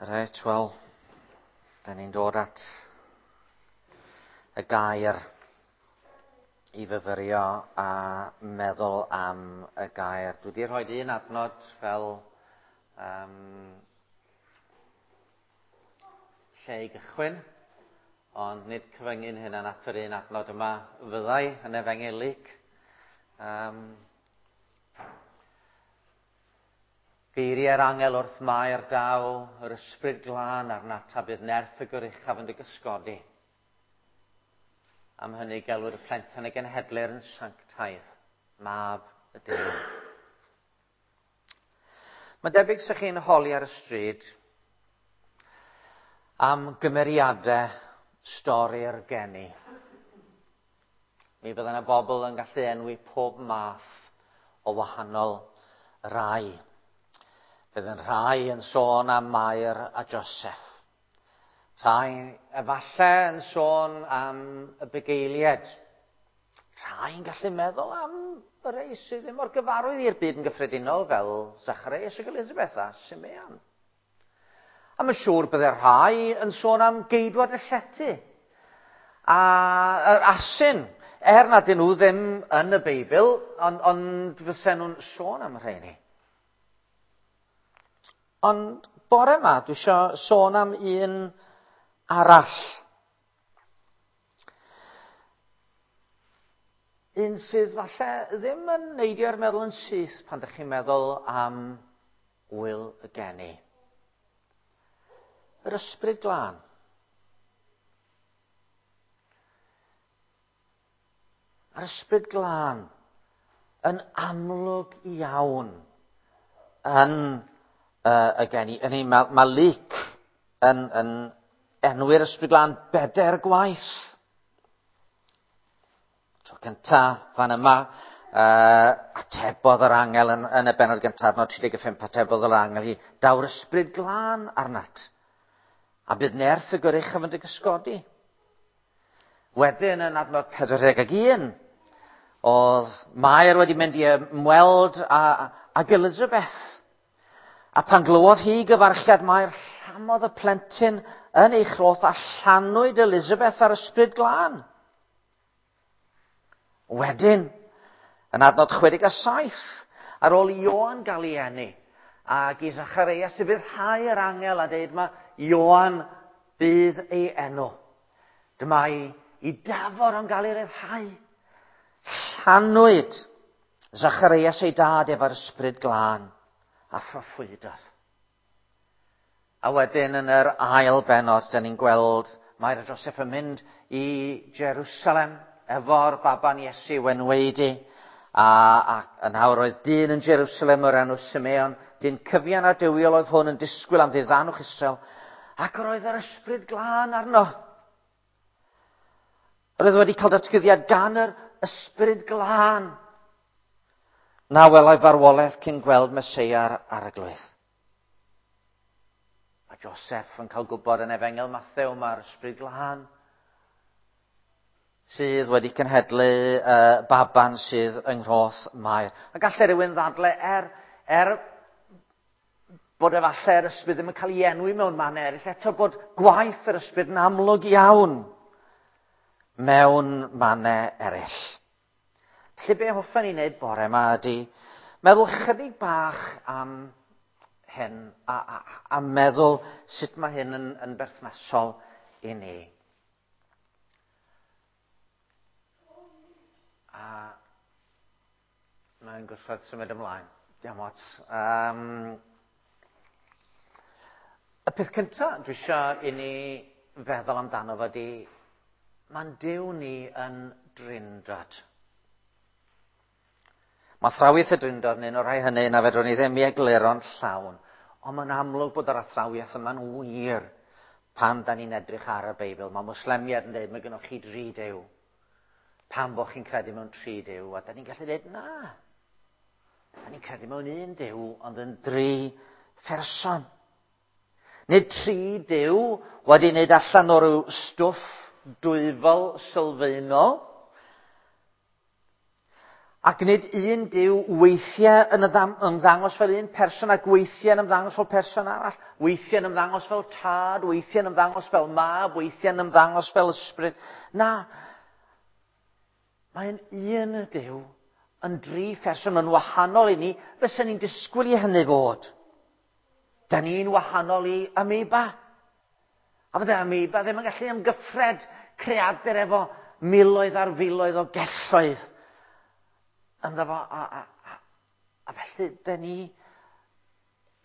Reit, wel, da ni'n dod at y gair i fyfyrio a meddwl am y gair. Dwi wedi rhoi un adnod fel um, lle i gychwyn, ond nid cyfyngu'n hynna'n at yr un adnod yma fyddai yn Efengyl Luc. Um, Geiriau'r angel wrth Mair daw yr ysbryd glân arnat a bydd nerth y goruchaf yn dy gysgodi. Am hynny gelwir y plentyn y genhedlir yn sanctaidd, mab y Duw. Mae'n debyg sa'ch chi'n holi ar y stryd am gymeriadau stori'r geni. Mi fydda yna bobl yn gallu enwi pob math o wahanol rai. Bydd yn rhai yn sôn am Mair a Joseph. Rhai efallai yn sôn am y bugeiliaid. Rhai yn gallu meddwl am y rei sydd ddim mor gyfarwydd i'r byd yn gyffredinol fel Zacharias ac Elizabeth a Simeon. A mae'n siŵr bydde rhai yn sôn am geidwad y llety. A yr asyn, er nad ydyn nhw ddim yn y Beibl, ond, ond fysen nhw'n sôn am y rheini. Ond bore yma, dwi eisiau sôn am un arall. Un sydd falle ddim yn neidio i'r meddwl yn syth pan ydych chi'n meddwl am Ŵyl y Geni. Yr Ysbryd Glân. A'r Ysbryd Glân yn amlwg iawn yn uh, y geni. Yn ei, mae, mae Luc yn, yn enwi'r Ysbryd Glân bedair gwaith. Tro cynta, fan yma, uh, atebodd yr angel yn, yn y benod gyntaf, adnod 35, atebodd yr angel hi, daw'r ysbryd glân arnat, a bydd nerth y goruchaf yn dy gysgodi. Wedyn yn adnod 41, oedd Mair wedi mynd i ymweld â, ag Elizabeth. A pan glywodd hi gyfarchiad Mair, llamodd y plentyn yn ei chroth a llanwyd Elizabeth ar ysbryd glân. Wedyn, yn adnod 67, ar ôl i Ioan gael ei eni, ac i Zacharias i fyddhau yr angel a dweud mae Ioan bydd ei enw. Dyma i, i dafor o'n gael ei ryddhau. Llanwyd Zacharias ei dad efo'r ysbryd glân a phroffwydodd. A wedyn yn yr ail bennod, dyn ni'n gweld Mair a Joseph yn mynd i Jerusalem efo'r baban Iesu wenweidi. A, a yn awr oedd dyn yn Jerusalem o'r enw Simeon, dyn cyfian a duwiol oedd hwn yn disgwyl am ddiddanwch Israel, ac yr oedd yr ysbryd glân arno. Yr oedd wedi cael datguddiad gan yr ysbryd glân. Na welai farwolaeth cyn gweld Meseia'r arglwydd. Mae Joseph yn cael gwybod yn Efengyl Mathew mae'r ysbryd glân sydd wedi cenhedlu uh, baban sydd yng nghroth Mair. A gallai rhywun ddadle er, er bod efallai yr ysbryd ddim yn cael ei enwi mewn man eraill, eto bod gwaith yr ysbryd yn amlwg iawn mewn mannau eraill. Felly be hoffen ni wneud bore yma ydy meddwl chydig bach am hyn a, a, a meddwl sut mae hyn yn, yn berthnasol i ni. A mae'n gwrthod symud ymlaen. Diolch ots. Um, y peth cyntaf dwi eisiau i ni feddwl amdano fo di, mae'n Duw ni yn drindod. Mae athrawiaeth y Drindod yn un o'r rhai hynny na fedrwn ni ddim i egluro'n llawn, ond mae'n amlwg bod yr athrawiaeth yma'n wir pan da ni'n edrych ar y Beibl. Mae Mwslemiaid yn dweud, mae gennych chi dri dew. Pam bod chi'n credu mewn tri dew? A da ni'n gallu dweud, na. Da ni'n credu mewn un dew, ond yn dri pherson. Nid tri dew wedi wneud allan o ryw stwff dwyfol sylfaenol. Ac nid un Duw weithiau yn ymddangos fel un person ac weithiau yn ymddangos fel person arall. Weithiau yn ymddangos fel Tad, weithiau yn ymddangos fel Mab, weithiau yn ymddangos fel Ysbryd. Na, mae'n un Duw yn dri pherson yn wahanol i ni, fysa ni'n disgwyl i hynny fod. Da ni'n wahanol i amoeba. A fydde amoeba ddim yn gallu amgyffred creadur efo miloedd ar filoedd o gelloedd ynddo fo. A felly, da ni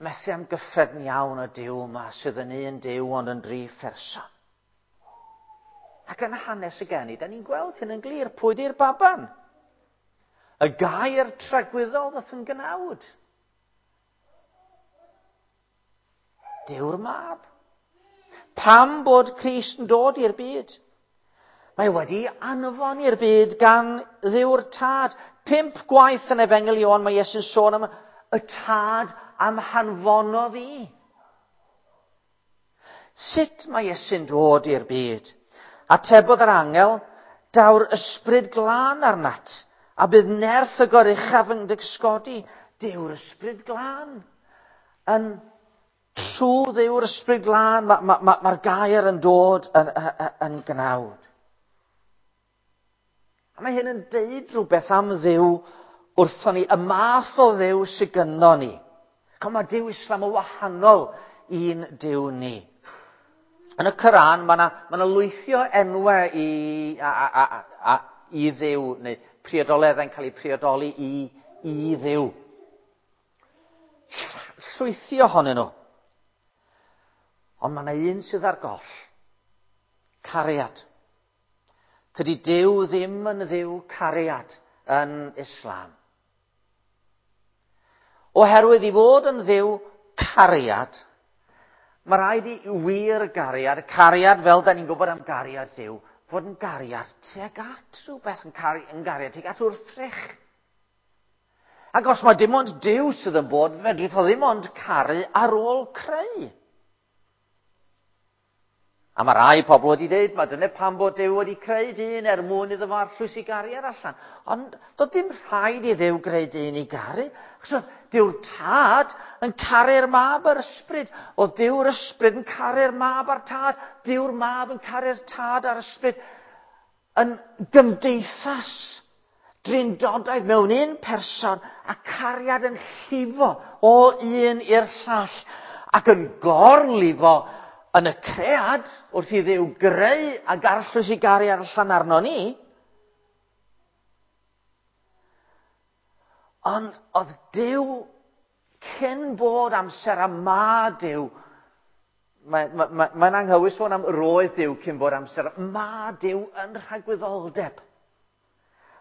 methu amgyffred yn iawn y Duw yma sydd yn un Duw ond yn dri pherson. Ac yn hanes y geni, da ni'n gweld hyn yn glir. Pwy di'r baban? Y gair tragwyddol ddoth yn gnawd. Duw'r Mab. Pam bod Crist yn dod i'r byd? Mae wedi anfon i'r byd gan Dduw'r Tad. 5 gwaith yn Efengyl Ioan mae Iesu'n sôn am y Tad am hanfonodd i. Sut mae Iesu'n dod i'r byd? Atebodd yr angel, daw'r Ysbryd Glân arnat, a bydd nerth y Goruchaf yn dy gysgodi. Dyw'r Ysbryd Glân yn trwy Dduw'r Ysbryd Glân, mae'r gair yn dod yn gnawd. A mae hyn yn deud rhywbeth am Dduw wrthon ni, y math o Dduw sydd gynno ni. Ch'mo, mae Duw Islam yn wahanol i'n Duw ni. Yn y Coran, mae yna ma lwythi o enwau i Dduw, neu priodoleddau'n cael eu priodoli i Dduw. Llwythi ohonyn nhw. Ond mae yna un sydd ar goll. Cariad. Tydi Duw ddim yn Dduw cariad yn Islam. Oherwydd i fod yn Dduw cariad, mae rhaid i wir gariad, cariad fel da ni'n gwybod am gariad Duw, fod yn gariad tuag at rhywbeth, yn gariad tuag at wrthrych. Ac os mae dim ond Duw sydd yn bod, fedrith o ddim ond caru ar ôl creu. A mae rai pobl wedi dweud, mae dyna pam bod Duw wedi creu dyn er mwyn iddo fo arllwys i gariad allan. Ond doedd dim rhaid i Dduw greu dyn i garu. Achos oedd Duw'r Tad yn caru'r Mab a'r Ysbryd. Oedd Duw'r Ysbryd yn caru'r Mab a'r Tad. Duw'r Mab yn caru'r Tad a'r Ysbryd. Yn gymdeithas drindodaidd mewn un person a cariad yn llifo o un i'r llall ac yn gorlifo yn y cread wrth i Dduw greu ac arllwys i gariad allan arno ni. Ond oedd Duw cyn bod amser a ma Duw, mae'n anghywir sôn am roedd Duw cyn bod amser, ma Duw yn rhagwyddoldeb,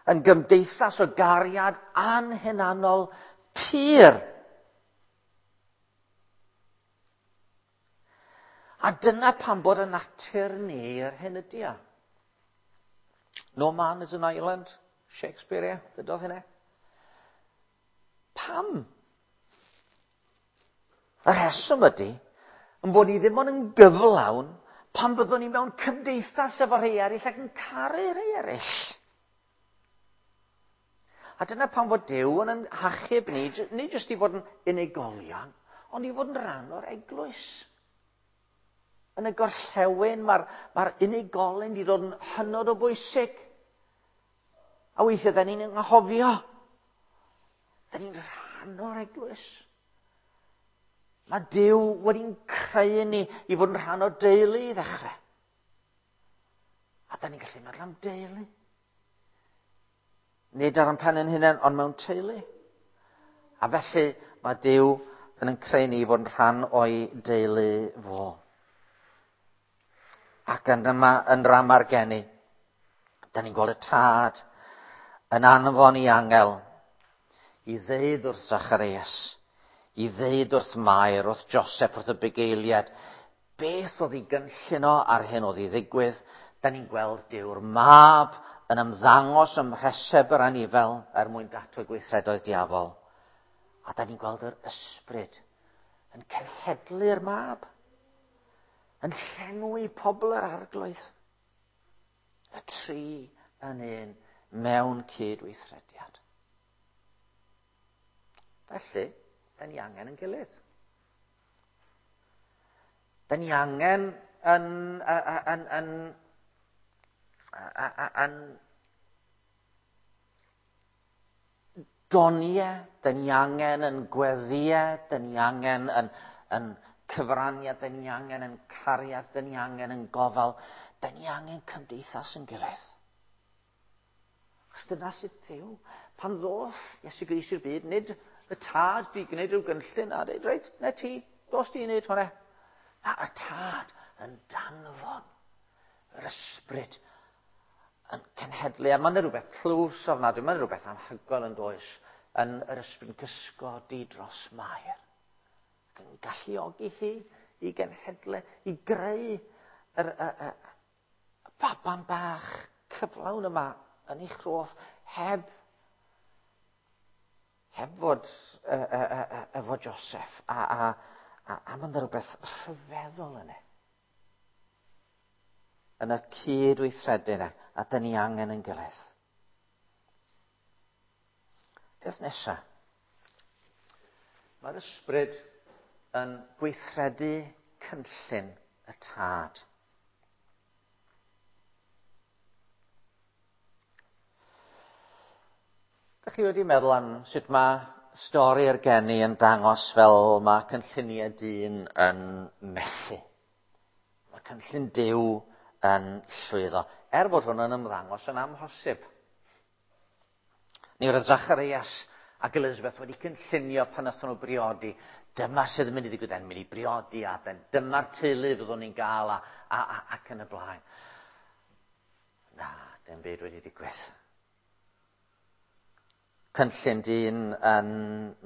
yn gymdeithas o gariad anhunanol pur. A dyna pam bod y natur ni yr hyn ydi o. No man is an island, Shakespeare, ie, ddydodd hynna. Pam? Y rheswm ydy, yn bod ni ddim ond yn gyflawn pan byddwn ni mewn cymdeithas efo rhai eraill ac yn caru rhai eraill. A dyna pam fod Duw yn hachub ni, nid jyst i fod yn unigolion, ond i fod yn rhan o'r eglwys. Yn y gorllewin, mae'r unigolyn wedi dod yn hynod o bwysig. A weithiau, da ni'n anghofio. Da ni'n rhan o'r eglwys. Mae Duw wedi'n creu ni i fod yn rhan o deulu i ddechrau. A da ni'n gallu meddwl am deulu. Nid ar ein pen ein hunain, ond mewn teulu. A felly mae Duw yn creu ni i fod yn rhan o'i deulu fo. Ac yn yma, yn drama'r geni, da ni'n gweld y Tad yn anfon i angel i ddeud wrth Zacharias, i ddeud wrth Mair, wrth Joseph, wrth y bugeiliad, beth oedd i gynllun o ar hyn oedd i ddigwydd. Da ni'n gweld Duw'r Mab yn ymddangos ym mhreseb yr anifel er mwyn datwe gweithredoedd diafol. A da ni'n gweld yr Ysbryd yn cenhedlu'r Mab, yn llenwi pobl yr Arglwydd. Y tri yn un mewn cydweithrediad. Felly, da ni angen yn gilydd. Da ni angen yn, yn, yn, yn, yn doniau, da ni angen yn gweddiau, da ni angen yn, yn cyfraniad, da ni angen yn cariad, da ni angen yn gofal, da ni angen cymdeithas yn gilydd. Achos dyna sydd Dduw. Pan ddoth Iesu Grist i'r byd, nid y tad di gwneud rhyw gynllun a dweud, reit, na ti, dos di i wneud hwnna. Na, y tad yn danfon yr ysbryd yn cenhedlu. A mae'n rhywbeth tlws ofnadwy, mae'n rhywbeth anhygoel yn does, yn yr ysbryd yn cysgodi dros Mair. Ac yn galluogi hi i genhedlu, i greu yr, y, y, y baban bach cyflawn yma yn ei chroth heb heb fod efo Joseph a, a, a, a mae'n rhywbeth rhyfeddol yna. Yn y cydweithredu yna, a dyn ni angen yn gilydd. Peth nesaf. Mae'r ysbryd yn gweithredu cynllun y tad. Dych chi wedi meddwl am sut mae stori'r geni yn dangos fel mae cynlluniau dyn yn methu? Mae cynllun Duw yn llwyddo, er bod hwn yn ymddangos yn amhosib. Ni roedd Zacharias ac Elizabeth wedi cynllunio pan nathon nhw briodi. Dyma sydd yn mynd i ddigwydd, yn mynd i briodi a dyma'r teulu fyddwn ni'n gael a, a, a, ac yn y blaen. Na, dim byd wedi digwydd. Cynllun dyn yn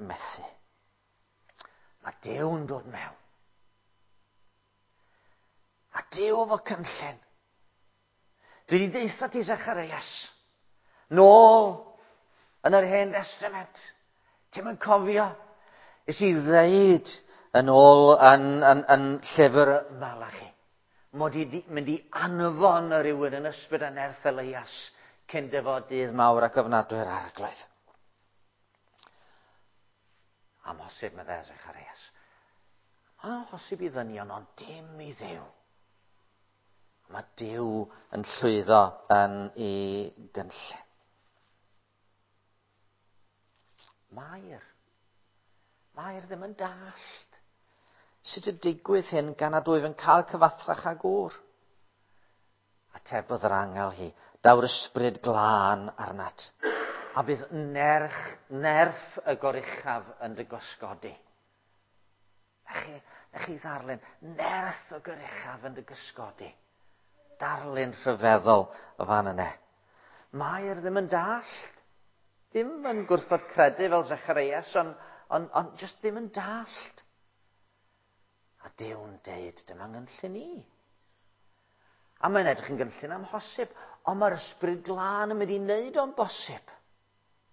methu. Mae Duw'n dod mewn. A Duw efo cynllun. Dwi wedi deitha ti Zacharias. Nôl yn yr hen testament. Ti'n mynd cofio? Nes i ddeud yn ôl yn, yn, yn llyfr Malachi. Mod i mynd i anfon y rhywun yn ysbryd a nerth Elias cyn dyfod dydd mawr ac ofnadwy'r arglwydd. Amhosib, meddai Zacharias. Amhosib i ddynion, ond dim i Dduw. Mae Duw yn llwyddo yn ei gynllun. Mair. Mair ddim yn dallt. Sut y digwydd hyn gan nad wyf yn cael cyfathrach â gŵr? Atebodd yr angel hi, daw'r ysbryd glân arnat, a bydd nerch, nerth y goruchaf yn dy gysgodi. Na chi, na chi ddarllen, nerth y goruchaf yn dy gysgodi. Darlun rhyfeddol o fan yna. Mair ddim yn dallt. Ddim yn gwrthod credu fel Zacharias, ond on, on, just ddim yn dallt. A Duw'n deud, dyma ngynllun i. A mae'n edrych yn gynllun amhosib, ond mae'r ysbryd glân yn mynd i wneud o'n bosib.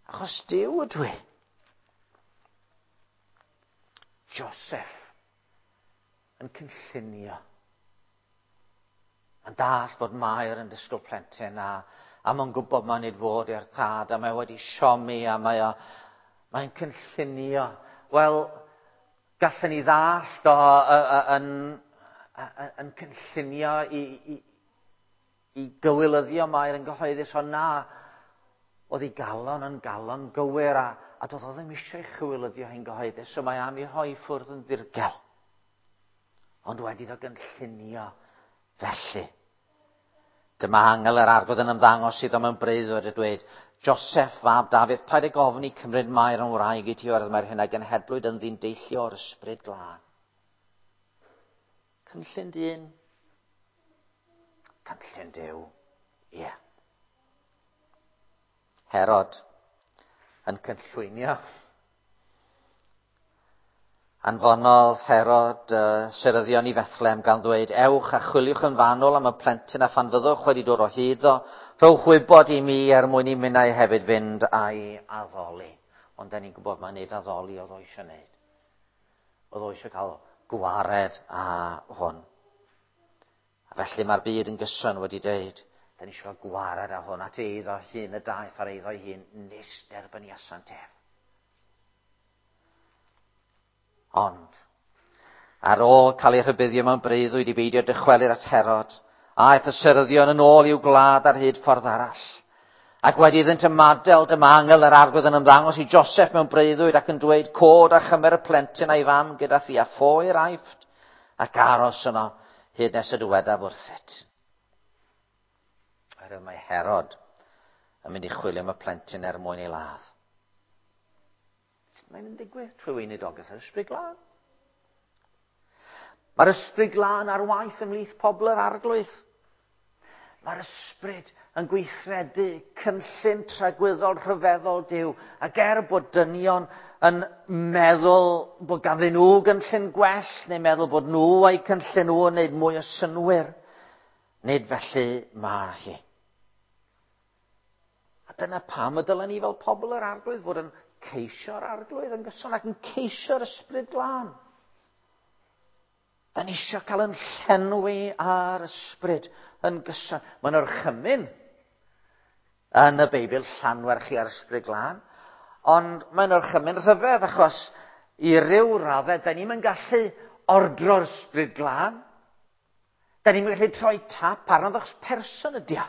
Achos Duw ydw i. Joseph yn cynllunio. Mae'n dall bod Mair yn disgwyl plentyn a, a mae'n gwybod mae'n nid fod i'r tad a mae wedi siomi a mae o, mae'n cynllunio. Wel, gallen ni ddallt o yn, yn cynllunio i, i, i gywilyddio Mair yn gyhoeddus, ond na, oedd ei galon yn galon gywir a, a doedd o ddim eisiau chywilyddio hi'n gyhoeddus, so mae am ei rhoi ffwrdd yn ddirgel. Ond wedi iddo gynllunio felly. Dyma angel yr arglwydd yn ymddangos iddo mewn breuddwyd a dweud, Joseph, fab Dafydd, paid ag ofni cymryd Mair yn wraig i ti oherwydd mae'r hyn a genhedlwyd yn ddyn deillio o'r ysbryd glân. Cynllun dyn. Cynllun Duw. Ie. Yeah. Herod yn cynllwynio. Anfonodd Herod uh, seryddion i Fethlehem gan ddweud, ewch a chwiliwch yn fanwl am y plentyn a phan fyddwch wedi dod o hyd o, rhowch wybod i mi er mwyn i minnau hefyd fynd a'i addoli. Ond da ni'n gwybod mae'n neud addoli oedd o eisiau neud. Oedd o eisiau cael gwared â hwn. A felly mae'r byd yn gyson wedi deud, da ni eisiau cael gwared â hwn, at eiddo hun y daeth ar eiddo ei hun, nes derbyniasant ef. Ond, ar ôl cael ei rhybuddio mewn breuddwyd i beidio dychwelyd at Herod, aeth y seryddion yn ôl i'w gwlad ar hyd ffordd arall. Ac wedi iddynt ymadael, dyma angel yr arglwydd yn ymddangos i Joseph mewn breuddwyd ac yn dweud, cod a chymer y plentyn a'i fam gyda thi a ffo i'r Aifft, ac aros yno hyd nes y dywedaf wrthyt. Oherwydd mae Herod yn mynd i chwilio am y plentyn er mwyn ei ladd. Sut mae'n digwydd? Trwy weinidogaeth yr Ysbryd Glân. Mae'r Ysbryd Glân ar waith ymhlith pobl yr Arglwydd. Mae'r Ysbryd yn gweithredu cynllun tragwyddol rhyfeddol Duw. Ac er bod dynion yn meddwl bod ganddyn nhw gynllun gwell, neu meddwl bod nhw a'u cynllun nhw yn gwneud mwy o synnwyr, nid felly mae hi. A dyna pam y dylen ni fel pobl yr Arglwydd fod yn ceisio'r Arglwydd yn gyson ac yn ceisio'r Ysbryd Glân. Da ni eisiau cael yn llenwi ar ysbryd yn gyson. Mae'n orchymyn yn y Beibl llanwer chi ar ysbryd glân, ond mae'n orchymyn rhyfedd achos i ryw raddau, da ni'n gallu ordro'r ysbryd glân. Da ni'n gallu troi tap arno achos person ydi o.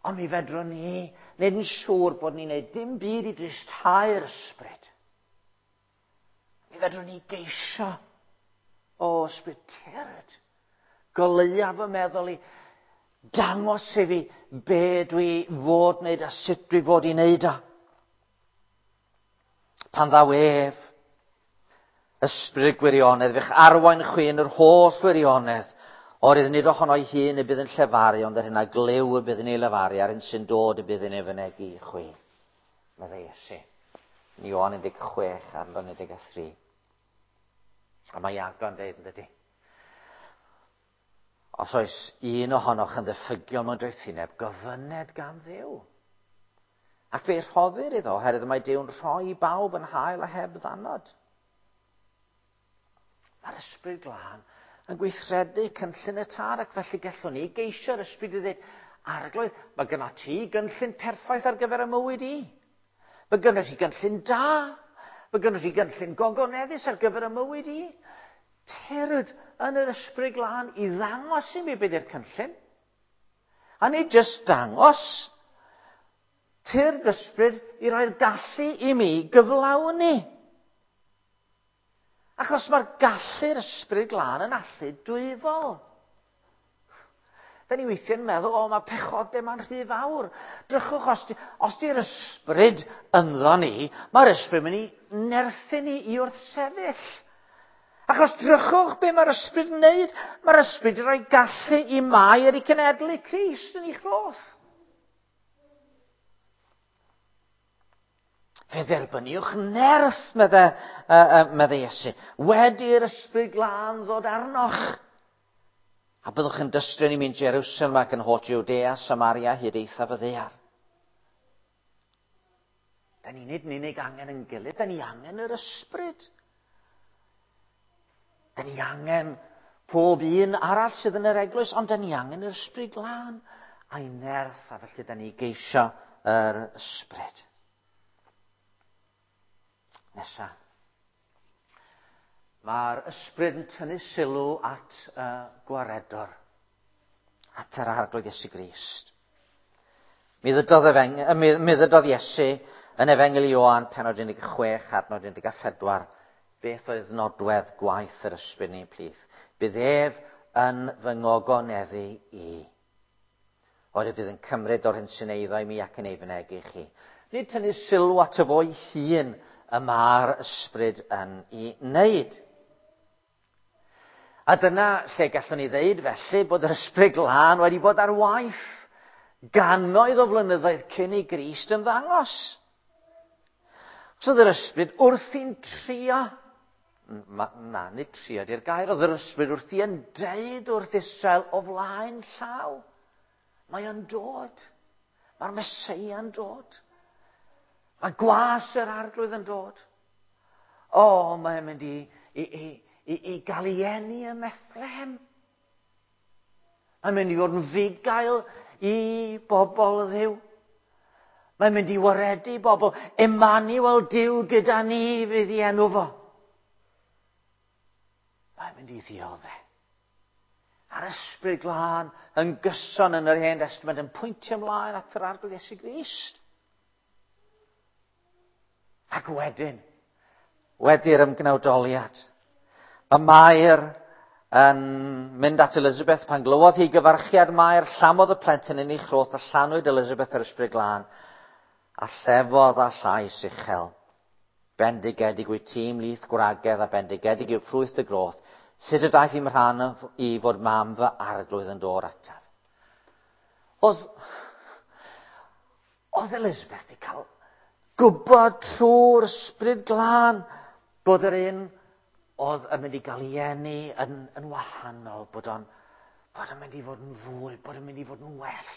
Ond mi fedrwn ni wneud yn siŵr bod ni'n gwneud dim byd i dristhau'r ysbryd. Mi fedrwn ni geisio, o ysbryd tyrd, goleua fy meddwl i, dangos i fi be dwi fod wneud a sut dwi fod i wneud o. Pan ddaw ef, ysbryd gwirionedd, fe'ch arwain chwi yn yr holl wirionedd, oherwydd nid ohono'i hun y bydd yn llefaru, ond yr hyn a glyw y bydd yn ei lefaru, a'r hyn sy'n dod y bydd yn ei fynegi i chwi. Meddai Iesu. Yn Ioan 16, adnod 13. A mae Iago yn dweud, yn dydy? Os oes un ohonoch yn ddiffygiol mewn doethineb, gofyned gan Dduw. Ac fe rhoddir iddo, oherwydd mae Duw'n rhoi i bawb yn hael a heb ddannod. Mae'r Ysbryd Glân yn gweithredu cynllun y Tad, ac felly gallwn ni geisio'r Ysbryd i ddweud, Arglwydd, mae gyda ti gynllun perffaith ar gyfer y mywyd i. Mae gyda ti gynllun da. Mae gyda ti gynllun gogoneddus ar gyfer y mywyd i. Tyrd yn yr Ysbryd Glân i ddangos i mi beth yw'r cynllun. A nid jyst dangos, tyrd Ysbryd i roi'r gallu i mi gyflawni. Achos mae'r gallu'r Ysbryd Glân yn allu dwyfol. Da ni weithiau'n meddwl, o, mae pechodau ma'n rhy fawr. Drychwch, os, di, os di'r ysbryd ynddo ni, mae'r ysbryd mynd i nerthu ni i wrthsefyll. Achos drychwch be mae'r ysbryd yn wneud. Mae'r ysbryd yn rhoi gallu i Mair i cenedlu Crist yn ei chroth. Fe dderbyniwch nerth, medde, medde Iesu, wedi'r ysbryd glân ddod arnoch. A byddwch yn dystio i mi'n Jerusalem ac yn holl Judea, Samaria, hyd eithaf y ddaear. Da ni nid yn unig angen yn gilydd, da ni angen yr ysbryd. Da ni angen pob un arall sydd yn yr eglwys, ond da ni angen yr ysbryd glân a'i nerth, a felly da ni geisio yr ysbryd. Nesa. Mae'r ysbryd yn tynnu sylw at y gwaredwr, at yr Arglwydd Iesu Grist. Mi ddydodd, efeng, mi, mi ddydodd Iesu yn Efengyl Ioan, penod 16, adnod 14, beth oedd nodwedd gwaith yr ysbryd yn ein plith. Bydd ef yn fy ngogoneddu i. Oherwydd bydd yn cymryd o'r hyn sy'n eiddo i mi ac yn ei fynegi i chi. Nid tynnu sylw ato fo'i hun y mae'r ysbryd yn ei wneud. A dyna lle gallwn ni ddeud felly bod yr ysbryd glân wedi bod ar waith gannoedd o flynyddoedd cyn i Grist ymddangos. Os oedd yr ysbryd wrthi'n trio, na, nid trio di'r gair, oedd yr ysbryd wrthi yn deud wrth Israel o flaen llaw. Mae o'n dod. Mae'r Meseia'n dod. Mae gwas yr Arglwydd yn dod. O, mae'n mynd i, i, i, i, i gael ei eni ym Methlehem. Mae'n mynd i fod yn fugail i bobl Dduw. Mae'n mynd i waredu bobl. Emmanuel Duw gyda ni fydd i enw fo. mynd i ddioddau. A'r Ysbryd Glân yn gyson yn yr Hen Testament yn pwyntio ymlaen at yr Arglwydd Iesu Grist. Ac wedyn, wedi'r ymgnawdoliad, mae Mair yn mynd at Elizabeth pan glywodd hi gyfarchiad Mair, llamodd y plentyn yn ei chroth a llanwyd Elizabeth yr Ysbryd Glân a llefodd â llais uchel. Bendigedig wyt ti ymhlith gwragedd a bendigedig yw ffrwyth dy groth. Sut y daeth i'm rhan i fod mam fy arglwydd yn dod ataf? Oedd Elizabeth wedi cael gwybod trwy'r Ysbryd Glân bod yr un oedd yn mynd i gael ei eni yn wahanol, bod o'n mynd i fod yn fwy, bod o'n mynd i fod yn well.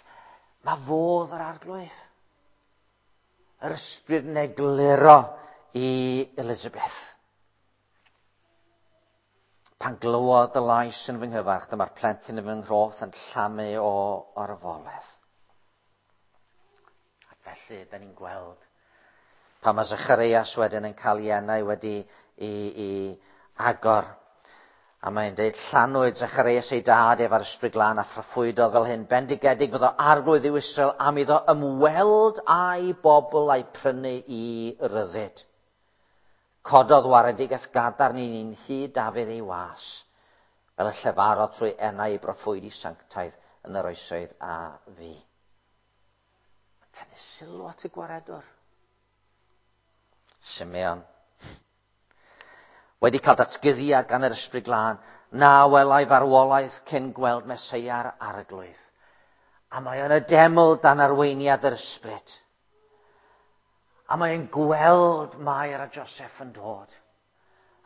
Mae fodd yr Arglwydd. Yr Ysbryd yn egluro i Elizabeth. Pan glywodd y lais yn fy nghyfarch, dyma'r plentyn yn fy nghroth yn llamu o orfoledd. Ac felly, da ni'n gweld pan mae Zacharias wedyn yn cael ei enau wedi i agor. A mae'n dweud, llanwyd Zacharias ei dad ef ar Ysbryd Glân a phroffwydodd fel hyn. Bendigedig fyddo Arglwydd yw Israel am iddo ymweld â'i bobl a'i prynu i ryddid. Cododd waredigaeth gadarn i ni'n hyd Dafydd ei was, fel y llefarodd trwy enau ei broffwydi sanctaidd yn yr oesoedd a fu. Tynnu sylw at y gwaredwr. Simeon. Wedi cael datguddiad gan yr Ysbryd Glân, na welai farwolaeth cyn gweld Meseia'r Arglwydd. A mae yn y deml dan arweiniad yr Ysbryd. A mae'n gweld Mair a Joseph yn dod.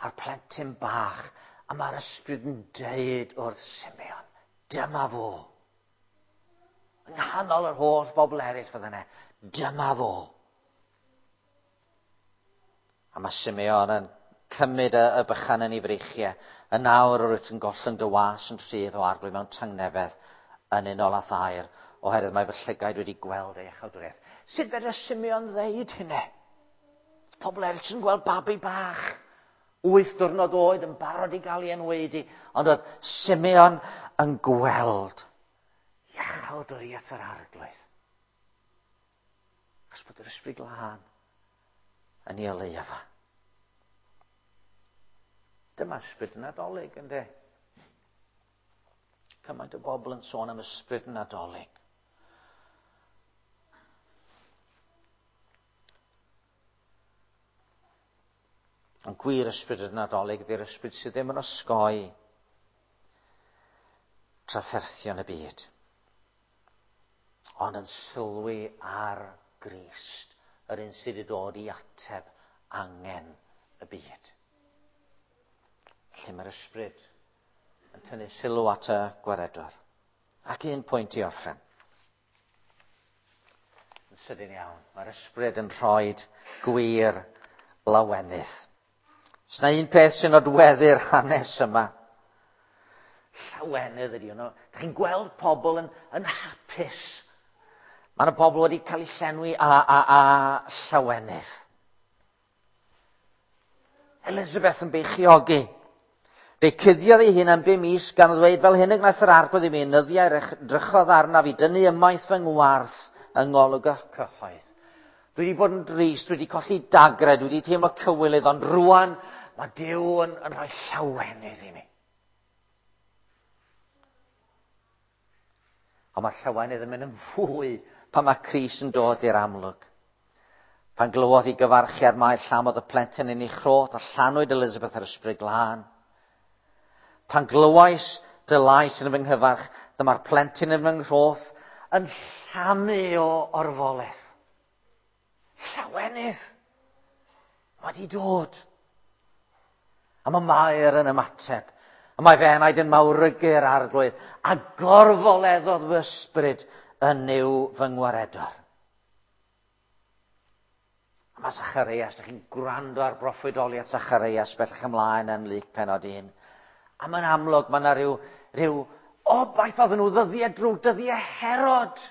A'r plentyn bach. A mae'r Ysbryd yn deud wrth Simeon, dyma fo. Yng nghanol yr holl bobl eraill fydda yna, dyma fo. A mae Simeon yn cymryd y bychan yn ei freichiau. Y nawr yr wyt yn gollwng dy was yn rhydd o Arglwydd mewn tangnefedd yn unol â thair, oherwydd mae fy llygaid wedi gweld ei iachawdwriaeth. Sut fedra Simeon ddeud hynny? Pobl eraill yn gweld babi bach, 8 diwrnod oed yn barod i gael ei enwaedu, ond oedd Simeon yn gweld iachawdwriaeth yr Arglwydd. Achos bod yr Ysbryd Glân yn ei oleuo fo. Dyma ysbryd Nadolig, yndê? Cymaint o bobl yn sôn am ysbryd Nadolig. Ond gwir ysbryd y Nadolig ydy'r ysbryd sydd ddim yn osgoi trafferthion y byd, ond yn sylwi ar Grist, yr un sydd wedi dod i ateb angen y byd. Lle mae'r ysbryd yn tynnu sylw at y gwaredwr. Ac un pwynt i orffen. Yn sydyn iawn, mae'r ysbryd yn rhoi gwir lawenydd. Os na un peth sy'n nodweddu'r hanes yma, llawenydd ydy hwnnw. Dych chi'n gweld pobl yn hapus. Mae yna pobl wedi cael eu llenwi a llawenydd. Elizabeth yn beichiogi. Fe cuddiodd ei hun am 5 mis gan ddweud, fel hyn y gwnaeth yr Arglwydd i mi, nyddiau drychodd arnaf i dynnu ymaith fy ngwarth yng ngolwg y cyhoedd. Dwi wedi bod yn drist, dwi wedi colli dagre, dwi wedi teimlo cywilydd, ond rwan mae Duw yn rhoi llawenydd i mi. Ond mae llawenydd yn mynd yn fwy pan mae Crist yn dod i'r amlwg. Pan glywodd ei gyfarchiad mae llamodd y plentyn yn ei chroth a llanwyd Elizabeth yr Ysbryd Glân. Pan glywais dy lais yn fy nghyfarch, dyma'r plentyn yn fy nghroth yn llamu o orfoledd. Llawenydd wedi dod. A mae Mair yn ymateb. A mae fe enaid yn mawrygu'r Arglwydd. A gorfoleddodd fy ysbryd yn Nuw fy ngwaredwr. A mae Zacharias, dych chi'n gwrando ar broffwydoliaeth Zacharias bellach ymlaen yn Luc pennod 1. A mae'n amlwg, mae yna rhyw obaith oedden nhw ddyddiau drwg, dyddiau Herod.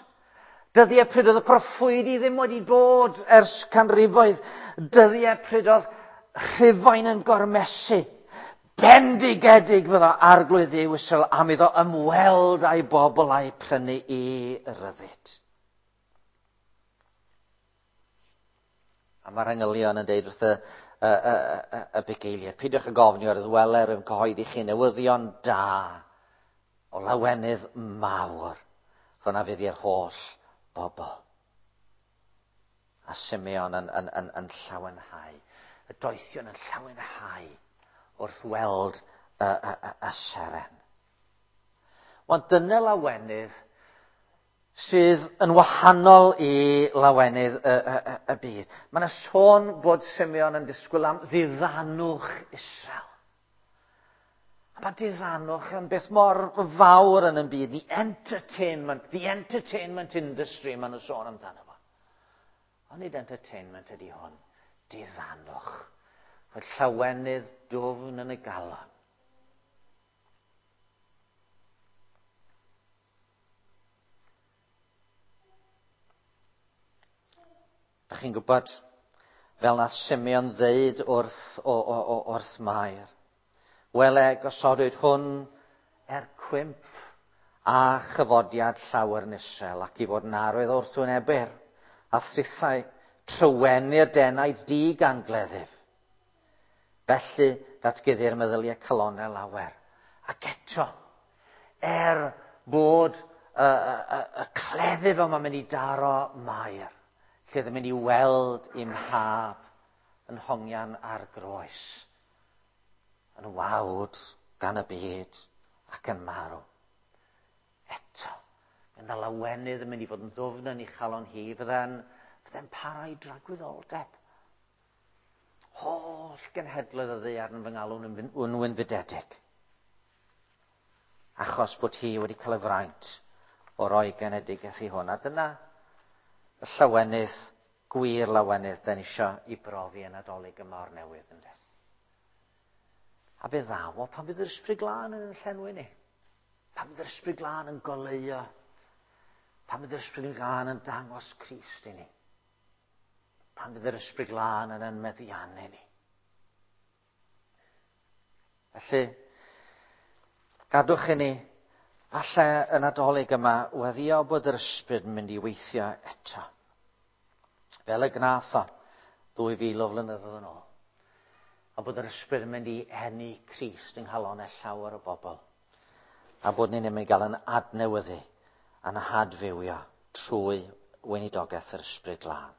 Dyddiau pryd oedd y proffwydi ddim wedi bod ers canrifoedd. Dyddiau pryd oedd Rhufain yn gormesu. Bendigedig fydda Arglwydd Dduw Israel am iddo ymweld â'i bobl a'i prynu i ryddid. A mae'r angylion yn deud wrth y bugeiliaid, peidiwch ag ofni oherwydd wele rwy'n cyhoeddi chi newyddion da o lawenydd mawr. Hwnna fydd i'r holl bobl. A Simeon yn llawenhau. Y doethion yn llawenhau wrth weld y seren. Wel, dyna lawenydd sydd yn wahanol i lawenydd y byd. Mae yna sôn bod Simeon yn disgwyl am ddiddanwch Israel. A mae diddanwch yn beth mor fawr yn y byd. The entertainment industry maen nhw'n sôn amdano fo. Ond nid entertainment ydy hwn. Diddanwch. Rhoi llawenydd dwfn yn y galon. Dach chi'n gwybod, fel nath Simeon ddeud wrth Mair, wele gosodwyd hwn er cwymp a chyfodiad llawer yn Israel ac i fod yn arwydd wrth wynebwyr a thrithau trywenu'r denaid di gan gleddyf. Felly datguddir meddyliau calonau lawer. Ac eto, er bod y cleddyf yma'n mynd i daro Mair, lle ddim mynd i weld i'm mhab yn hongian ar groes, yn wawd gan y byd ac yn marw. Eto, mae yna lawenydd yn mynd i fod yn ddwfn yn ei chalon hi, fydde'n para i dragwyddoldeb. Holl genhedloedd y ddaear yn fy ngalw'n yn wynfydedig. Achos bod hi wedi cael y fraint o roi genedigaeth i hwn. A dyna y llawenydd, gwir lawenydd, da ni isio i brofi yn Nadolig yma o'r newydd, ynde. A fe ddaw o pan fydd yr Ysbryd Glân yn llenwi ni. Pan fydd yr Ysbryd Glân yn goleuo. Pan fydd yr Ysbryd Glân yn dangos Crist i ni. Pan fydd yr Ysbryd Glân yn meddiannu ni. Felly, gadwch i ni, falle y Nadolig yma, weddio bod yr Ysbryd yn mynd i weithio eto. Fel y gnath o 2000 o flynyddoedd yn ôl. A bod yr Ysbryd yn mynd i eni Crist yng nghalonau llawer o bobl. A bod ni'n mynd i gael yn adnewyddu a'n hadfywio trwy weinidogaeth yr Ysbryd Glân.